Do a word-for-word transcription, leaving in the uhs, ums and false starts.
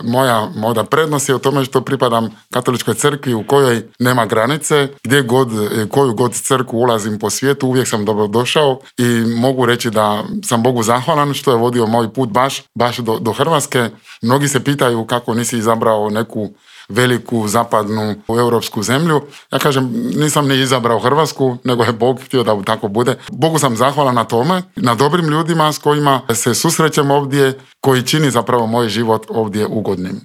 Moja možda prednost je u tome što pripadam katoličkoj crkvi u kojoj nema granice, gdje god, koju god crkvu ulazim po svijetu, uvijek sam dobrodošao i mogu reći da sam Bogu zahvalan što je vodio moj put baš, baš do, do Hrvatske. Mnogi se pitaju kako nisi izabrao neku veliku zapadnu europsku zemlju. Ja kažem, nisam ni izabrao Hrvatsku, nego je Bog htio da tako bude. Bogu sam zahvalan na tome, na dobrim ljudima s kojima se susrećem ovdje, koji čini zapravo moj život ovdje ugodnim.